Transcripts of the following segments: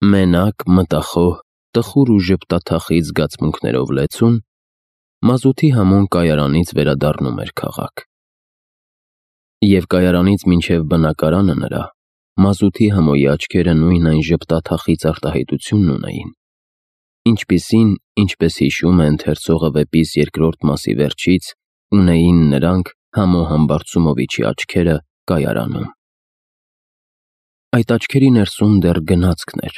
Մենակ, մտախոհ, տխուր ու ժպտաթախիծ զգացմունքներով լեցուն, մազութի համոն կայարանից վերադառնում էր քաղաք։ Եվ կայարանից մինչև բնակարանը նրա, մազութի համոյի աչքերը նույն այն ժպտաթախիծ արտահայտությունն ունեին, ինչպիսին, ինչպես հիշում է ընթերցողը վեպիս երկրորդ մասի վերջից, ունեին նրանք Համո Համբարձումովիչի աչքերը կայարանում։ Այդ աչքերի ներսում դեռ գնացքն էր,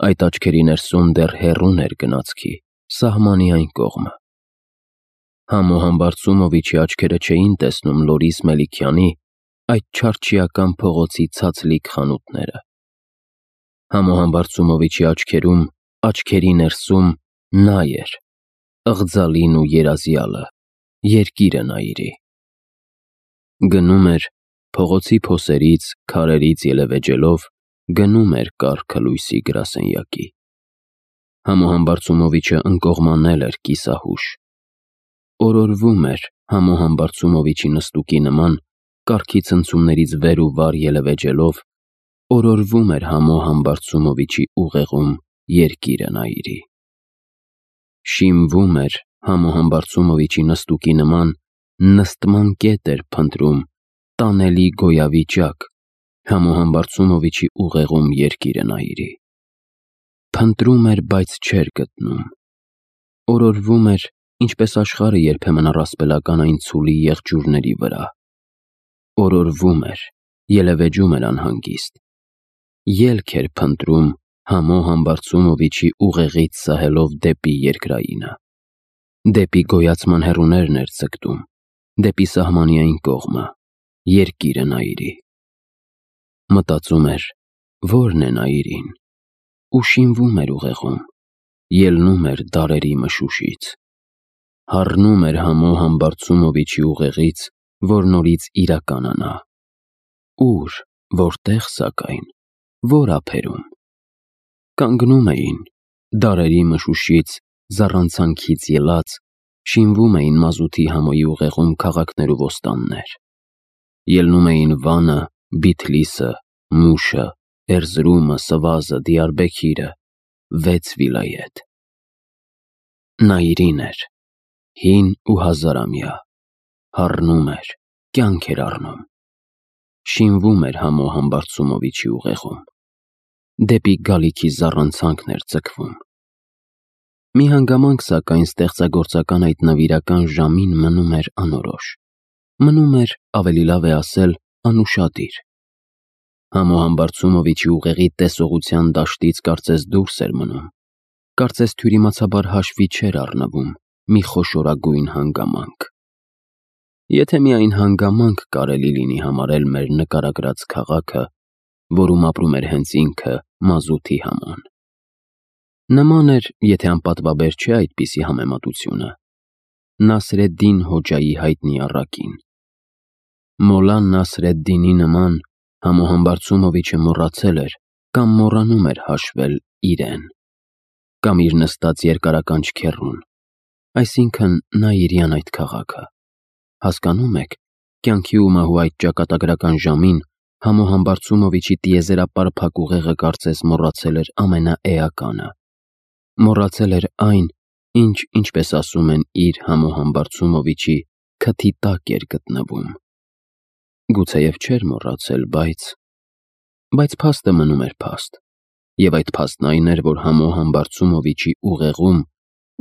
այդ աչքերի ներսում դեռ հեռուն էր գնացքի, սահմանի այն կողմը։ Համո Համբարձումովիչի աչքերը չէին տեսնում Լորիս Մելիքյանի այդ չարչիական փողոցի ցածլիկ խանութները։ Համո Համբարձումովիչի աչքերում, աչքերի ներսում նա էր, ըղձալին ու երազյալը, երկիրը Նայիրի։ Գնում էր, փողոցի փոսերից, քարերից ելևէջելով, գնում էր կառքը լույսի գրասենյակի։ Համո Համբարձումովիչը ընկողմանել էր կիսահուշ։ Օրորվում էր Համո Համբարձումովիչի նստուկի նման, կառքի ցնցումներից վեր ու վար ելևէջելով, օրորվում էր Համո Համբարձումովիչի ուղեղում երկիրը Նայիրի։ Շիմվում էր Համո Համբարձումովիչի նստուկի նման, նստման կետ էր փնտրում, տանելի գոյավիճակ, Համո Համբարձումովիչի ուղեղում երկիրը Նայիրի։ Փնտրում էր, բայց չէր գտնում։ Օրորվում էր, ինչպես աշխարհը երբեմն առասպելական այն ցուլի եղջյուրների վրա։ Օրորվում էր, ելևէջում էր անհանգիստ։ Ելք էր փնտրում Համո Համբարձումովիչի ուղեղից սահելով դեպի երկրայինը։ Դեպի գոյացման հեռուներն էր ձգտում, դեպի սահմանի այն կողմը, երկիրը Նայիրի։ Մտածում էր, ո՞րն է Նայիրին, ու շինվում էր ուղեղում, ելնում էր դարերի մշուշից։ Հառնում էր Համո Համբարձումովիչի ուղեղից, որ նորից իրականանա։ Ուր, որտեղ սակայն, որ ափերում։ Կանգնում էին, դարերի մշուշից, զառանցանքից ելած, շինվում էին մազութի համոյի ուղեղում քաղաքներ ու ոստաններ։ Ելնում էին Վանը, Բիթլիսը, Մուշը, Էրզրումը, Սվազը, Դիարբեքիրը, 6 վիլայեթ։ Նայիրին էր, հին ու հազարամյա, հառնում էր, կյանք էր առնում։ Շինվում էր Համո Համբարձումովիչի ուղեղում, դեպի գալիքի զառանցանքն էր ձգվում։ Մի հանգամանք, սակայն, ստեղծագործական այդ նվիրական ժամին մնում էր անորոշ, մնում էր, ավելի լավ է ասել, անուշադիր։ Համո Համբարձումովիչի ուղեղի տեսողության դաշտից կարծես դուրս էր մնում, կարծես թյուրիմացաբար հաշվի չէր առնվում մի խոշորագույն հանգամանք։ Եթե միայն հանգամանք կարելի լինի համարել մեր նկարագրած քաղաքը, որում ապրում էր հենց ինքը մազութի Համոն։ Նման էր, եթե անպատվաբեր չէ այդպիսի համեմատությունը, Նասրեդդին Հոջայի հայտնի առակին։ Մոլլա Նասրեդդինի նման Համո Համբարձումովիչը մոռացել էր կամ մոռանում էր հաշվել իրեն, կամ իր նստած երկարականջ քեռուն, այսինքն Նայիրյան այդ քաղաքը։ Հասկանում եք, կյանքի ու մահու այդ ճակատագրական ժամին Համո Համբարձումովիչի տիեզերապարփակ ուղեղը կարծես մոռացել էր ամենաէականը։ Մոռացել էր այն, ինչ, ինչպես ասում են, իր Համո Համբարձումովիչի քթի տակ էր գտնվում։ Գուցեև չէր մոռացել, բայց փաստը մնում էր փաստ, և այդ փաստն այն էր, որ Համո Համբարձումովիչի ուղեղում,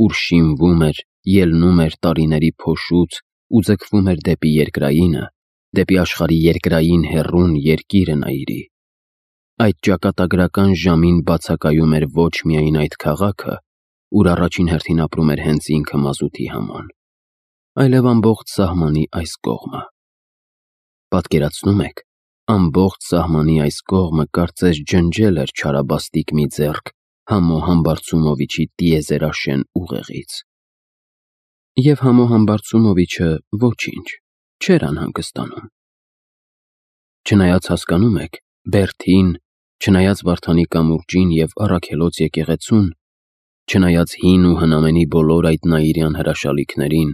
ուր շինվում էր, ելնում էր տարիների փոշուց ու ձգվում էր դեպի երկրայինը, դեպի աշխարհի երկրային հեռուն երկիրը Նայիրի, այդ ճակատագրական ժամին բացակայում էր ոչ միայն այդ քաղաքը, ուր առաջին հերթին ապրում էր հենց ինքը մազութի Համոն, այլև ամբողջ սահմանի այս կողմը։ Պատկերացնում եք, ամբողջ սահմանի այս կողմը կարծես ջնջել էր չարաբաստիկ մի ձեռք Համո Համբարձումովիչի տիեզերաշեն ուղեղից։ Եվ Համո Համբարձումովիչը ոչինչ, չէր անհանգստանում։ Չնայած հասկանում եք, Բերդին, չնայած Վարդանի կամուրջին և Առաքելոց եկեղեցուն, չնայած հին ու հնամենի բոլոր այդ նայիրյան հրաշալիքներին,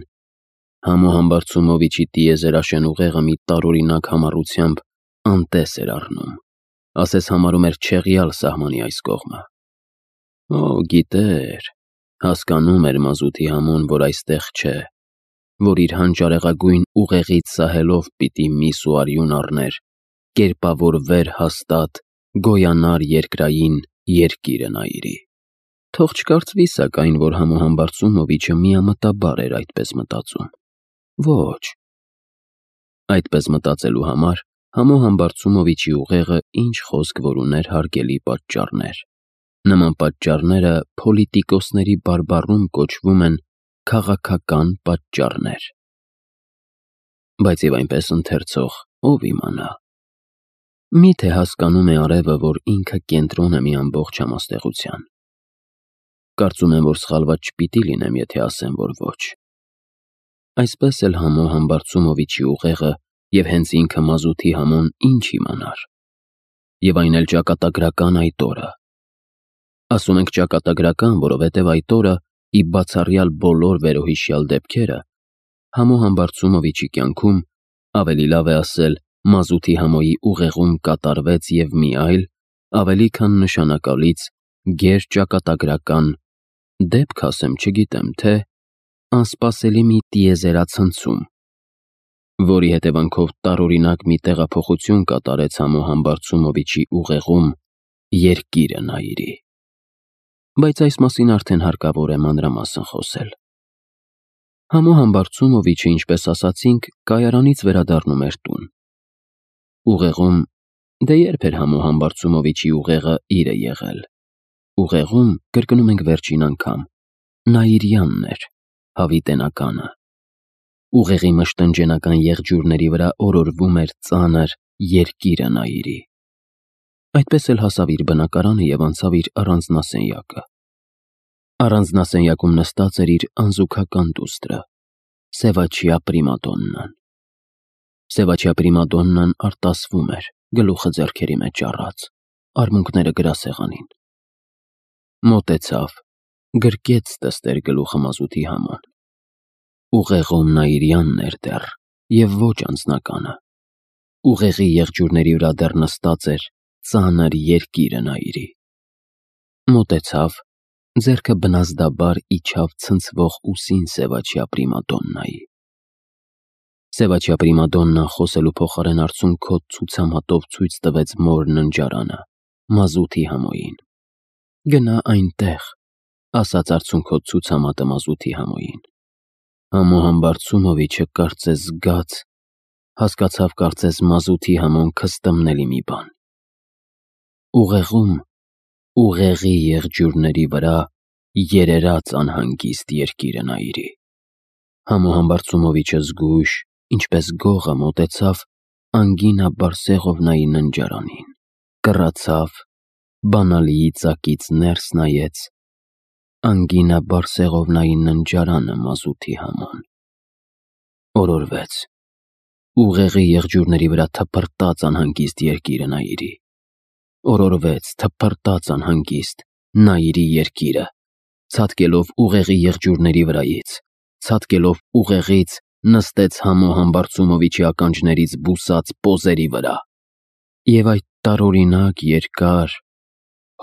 Համո Համբարձումովիչի տիեզերաշեն ուղեղը մի տարօրինակ համառությամբ անտես էր առնում, ասես համարում էր չեղյալ սահմանի այս կողմը։ Գիտեր, հասկանում էր մազութի համոն, որ այստեղ չէ, որ իր հանճարեղագույն ուղեղից սահելով պիտի միս ու արյուն առներ, կերպավորվեր հաստատ, գոյանար երկրային երկիրը Նայիրի։ Թող չկարծվի սակայն, որ Համոհան Բարսումովիչը միամտաբար էր այդպես մտածում։ Ոչ։ Այդպես մտածելու համար Համոհան Բարսումովիչի ուղեղը ինչ խոսք որ ուներ հարգելի պատճառներ։ Նման պատճառները փոլիտիկոսների բարբառում կոչվում են քաղաքական պատճառներ։ Բայց եւ այնպես ընթերցող ով իմանա։ Միթե հասկանում է արևը, որ ինքը կենտրոն է մի ամբողջ համաստեղության։ Կարծում եմ, որ սխալված չպիտի լինեմ, եթե ասեմ, որ ոչ։ Այսպես էլ Համոհան Բարսումովիչի ուղեղը եւ հենց ինքը մազութի համոն ինչ իմանար։ Եվ այն էլ ճակատագրական այդ օրը։ Ասում ենք ճակատագրական, որովհետև այդ օրը, ի բացառյալ բոլոր վերոհիշյալ դեպքերը, Համոհան Բարսումովիչի կյանքում, ավելի լավ է ասել, մազութի համոյի ուղեղում կատարվեց եւ մի այլ, ավելի քան նշանակալից, գերճակատագրական դեպք ասեմ, չգիտեմ, թե անսպասելի մի տիեզերացնցում, որի հետևանքով տարօրինակ մի տեղափոխություն կատարեց Համոհան Բարսումովիչի ուղեղում երկիրը Նայիրի։ Բայց այս մասին արդեն հարկավոր է մանրամասն խոսել։ Համոհան Բարսումովիչը, ինչպես ասացինք, կայարանից վերադառնում էր տուն։ Ուղեղում, դե երբ էր Համոհան Բարսումովիչի ուղեղը իրը եղել։ Ուղեղում, կրկնում ենք վերջին անգամ, Նայիրյանն էր, հավիտենականը։ Ուղեղի մշտնջենական եղջյուրների վրա օրորվում էր ծանր երկիրը Նայիրի։ Այդպես էլ հասավ իր բնակարանը եւ անցավ իր առանձնասենյակը։ Առանձնասենյակում նստած էր իր անզուգական դուստրը, Սևաչյա Պրիմադոննան։ Սևաչյա Պրիմադոննան արտասվում էր, գլուխը ձեռքերի մեջ առած, արմունկները գրասեղանին։ Մոտեցավ, գրկեց տստեր գլուխը մազութի համոն։ Ուղեղում Նայիրյանն էր դեռ, եւ ոչ անձնականը։ Ուղեղի եղջյուրների վրա դեռ նստած էր ծանր երկիրը Նայիրի։ Մոտեցավ, ձեռքը բնազդաբար իջավ ցնցվող ուսին Սևաչյա Պրիմադոննայի։ Սևաչյա Պրիմադոննան խոսելու փոխարեն արցունքոտ ցուցամատով ցույց տվեց մոր ննջարանը, մազութի համոյին։ Գնա այնտեղ, ասաց արցունքոտ ցուցամատը մազութի համոյին։ Համոհան Բարսումովիչը կարծես զգաց, հասկացավ կարծես մազութի համոն քստմնելի մի բան։ Ուղեղում, ուղեղի եղջյուրների վրա երերաց անհանգիստ երկիրը Նայիրի։ Համոհան Բարսումովիչը զգույշ, ինչպես գողը մոտեցավ Անգինա Բարսեղովնայի ննջարանին, կռացավ, բանալիի ծակից ներս նայեց Անգինա Բարսեղովնայի ննջարանը մազութի համոն։ Օրորվեց։ Ուղեղի եղջյուրների վրա թփրտաց անհանգիստ երկիրը Նայիրի։ Օրորվեց, թփրտաց անհանգիստ Նայիրի երկիրը, ցատկելով ուղեղի եղջյուրների վրայից, ցատկելով ուղեղից նստեց Համոհան Բարսումովիչի ականջներից բուսած պոզերի վրա։ Եվ այդ տարօրինակ երկար,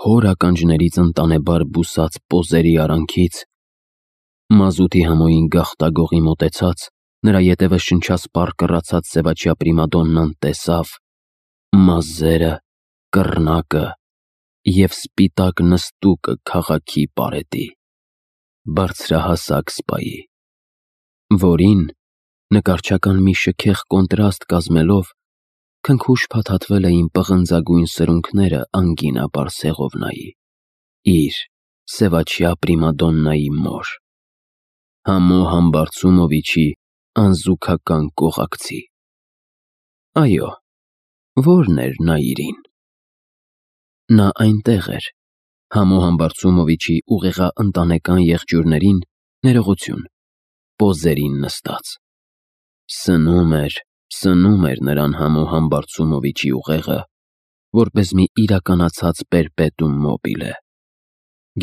հոր ականջներից ընտանեբար բուսած պոզերի արանքից մազութի համոյին գաղտագողի մոտեցած, նրա ետևը շնչասպառ կռացած Սևաչյա Պրիմադոննան տեսավ մազերը, կռնակը եւ սպիտակ նստուկը քաղաքի պարետի, բարձրահասակ սպայի, որին, նկարչական մի շքեղ կոնտրաստ կազմելով, քնքուշ փաթաթվել էին պղնձագույն սրունքները Անգինա Բարսեղովնայի, իր Սևաչյա Պրիմադոննայի մոր, Համոհան Բարսումովիչի անզուգական կողակցի։ Այո, ո՞րն էր Նայիրին։ Նա այնտեղ էր, Համոհան Բարսումովիչի ուղեղաընտանեկան եղջյուրներին ներողություն, պոզերին նստած։ Սնում էր նրան Համոհան Բարսումովիչի ուղեղը, որպես մի իրականացած պերպետում մոբիլե։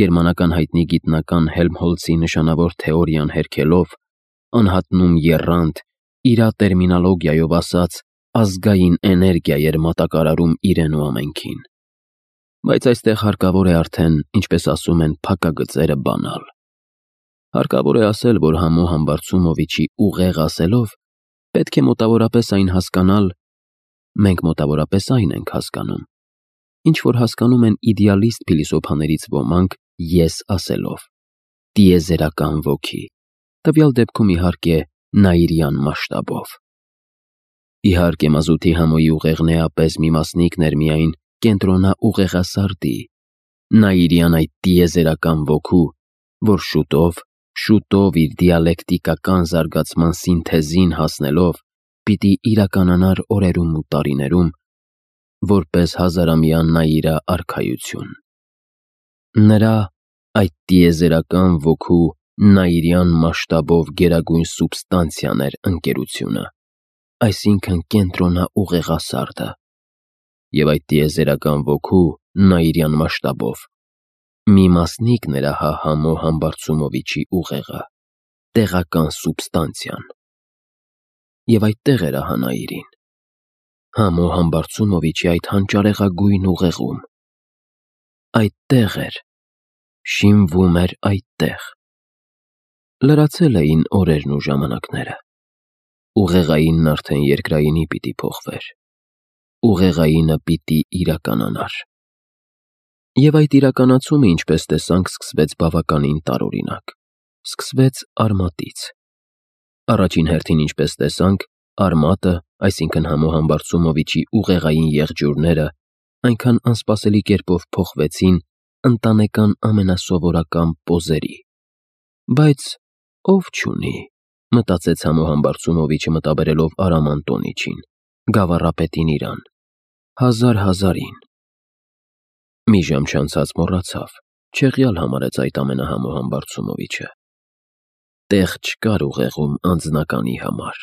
Գերմանական հայտնի գիտնական Հելմհոլցի նշանավոր թեորիան հերքելով, անհատնում եռանդ, իրա տերմինոլոգիայով ասած, ազգային էներգիա էր մատակարարում իրեն ու ամենքին։ Բայց այստեղ հարկավոր է արդեն, ինչպես ասում են, փակագծերը բանալ։ Հարկավոր է ասել, որ Համո Համբարձումովիչի ուղեղ ասելով պետք է մոտավորապես այն հասկանալ, մենք մոտավորապես այն ենք հասկանում, ինչ որ հասկանում են իդեալիստ փիլիսոփաներից ոմանք ես ասելով, տիեզերական ոգի, տվյալ դեպքում իհարկե նայիրյան մասշտաբով։ Իհարկե մազութի Համոյի ուղեղն էապես մի մասնիկն էր միայն կենտրոնա ուղեղասարդի, նայիրյան այդ տիեզերական ոգու, որ շուտով իր դիալեկտիկական զարգացման սինթեզին հասնելով պիտի իրականանար օրերում ու տարիներում, որպես հազարամյա նայիրա արքայություն։ Նրա այդ տիեզերական ոգու նայիրյան մասշտաբով գերագույն սուբստանցիան էր ընկերությունը, այսինքն կենտրոնա ուղեղասարդը, և այդ տիեզերական ոգու նայիրյան մասշտաբով մի մասնիկն էր ահա Համո Համբարձումովիչի ուղեղը, տեղական սուբստանցիան։ Եվ այդտեղ էր ահա նայիրին, Համո Համբարձումովիչի այդ հանճարեղագույն ուղեղում, այդտեղ էր, շինվում էր այդտեղ։ Լրացել էին օրերն ու ժամանակները, ուղեղայինն արդեն երկրայինի պիտի փոխվեր, ուղեղայինը պիտի իրականանար։ Եվ այդ իրականացումը, ինչպես տեսանք, սկսվեց բավականին տարօրինակ, սկսվեց արմատից։ Առաջին հերթին, ինչպես տեսանք, արմատը, այսինքն Համո Համբարձումովիչի ուղեղային եղջյուրները այնքան անսպասելի կերպով փոխվեցին ընտանեկան ամենասովորական պոզերի։ Բայց ով չունի, մտածեց Համո Համբարձումովիչը մտաբերելով Արամ Անտոնիչին, գավառապետին իրան, հազարին։ Մի ժամ չանցած մոռացավ, չեղյալ համարեց այդ ամենը Համո Համբարձումովիչը։ Տեղ չկար ուղեղում անձնականի համար,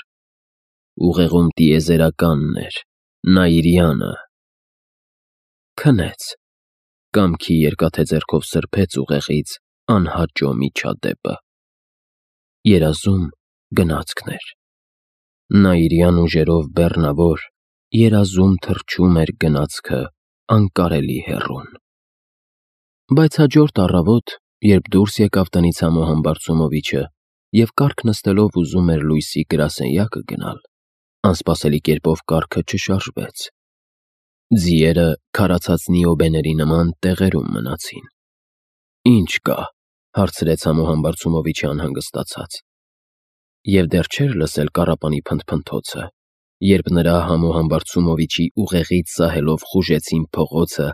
ուղեղում տիեզերականն էր, նայիրյանը։ Քնեց, կամքի երկաթե ձեռքով սրբեց ուղեղից անհաճո միջադեպը։ Երազում գնացքն էր, նայիրյան ուժերով բեռնավոր, երազում թռչում էր գնացքը անկարելի հեռուն։ Բայց հաջորդ առավոտ, երբ դուրս եկավ տնից Համո Համբարձումովիչը և կառք նստելով ուզում էր լույսի գրասենյակը գնալ, անսպասելի կերպով կառքը չշարժվեց։ Ձիերը քարացած նիոբեների նման տեղերում մնացին։ Ինչ կա, հարցրեց Համո Համբարձումովիչը անհանգստացած։ Եվ դեռ չէր լսել կառապանի փնթփնթոցը, երբ նրա Համո Համբարձումովիչի ուղեղից սահելով խուժեցին փողոցը,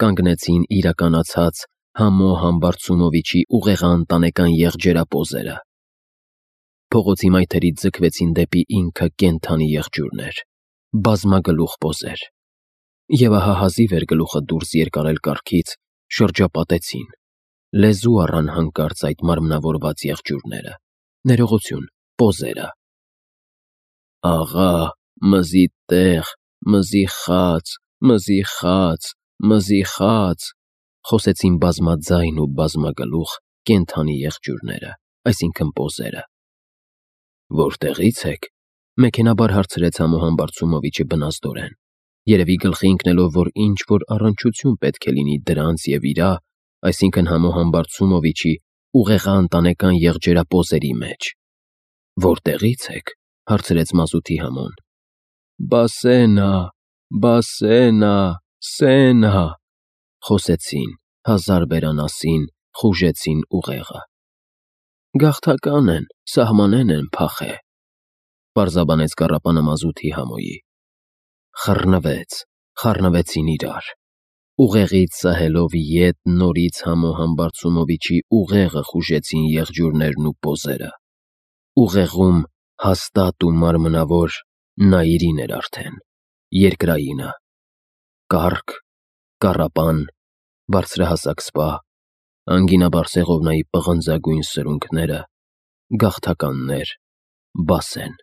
կանգնեցին իրականացած Համո Համբարձումովիչի ուղեղաընտանեկան եղջերապոզերը։ Փողոցի մայթերից ձգվեցին դեպի ինքը կենդանի եղջյուրներ, բազմագլուխ պոզեր։ Եվ ահա հազիվ էր գլուխը դուրս երկարել կառքից, շրջապատեցին, լեզու առան հանկարծ այդ մարմնավորված եղջյուրները, ներողություն, պոզերը։ Աղա, մզի տեղ, մզի խաց, մզի խաց, մզի խաց, խոսեցին բազմաձայն ու բազմագլուխ կենդանի եղջյուրները, այսինքն պոզերը։ Որտեղից եք, մեքենաբար հարցրեց Համո Համբարձումովիչը բնազդորեն, երևի գլխի ընկնելով, որ ինչ-որ առնչություն պետք է լինի դրանց և իրա, այսինքն Համո Համբարձումովիչի ուղեղաընտանեկան եղջերապոզերի մեջ։ Որտեղից եք, հարցրեց մազութի Համոն։ Բասենա, Սենա, խոսեցին, հազար բերանասին, խուժեցին ուղեղը։ Գաղթական են, սահմանեն են փախե, պարզաբանեց կառապանը մազութի Համոյի։ Խառնվեցին իրար, ուղեղից սահելով ետ նորից Համո Համբարձումովիչի ուղեղը խուժեցին եղջյուրներն ու պոզերը։ Ուղեղում հաստատ ու մարմնավոր նայիրին էր արդեն, երկրայինը, կառք, կառապան, բարձրահասակ սպա, անգինաբարձեղովնայի պղնձագույն սրունքները, գաղթականներ, Բասեն։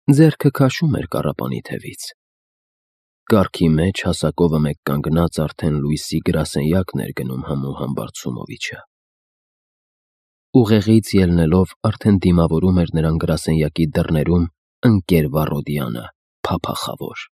Ձեռքը քաշում էր կառապանի թևից։ Կառքի մեջ հասակովը մեկ կանգնած արդեն լույսի գրասենյակն էր գնում Համո Համբարձումովիչը։ Ուղեղից ելնելով արդեն դիմավորում էր նրան գրասենյակի դռներում ընկեր Վառոդյանը, փափախավոր։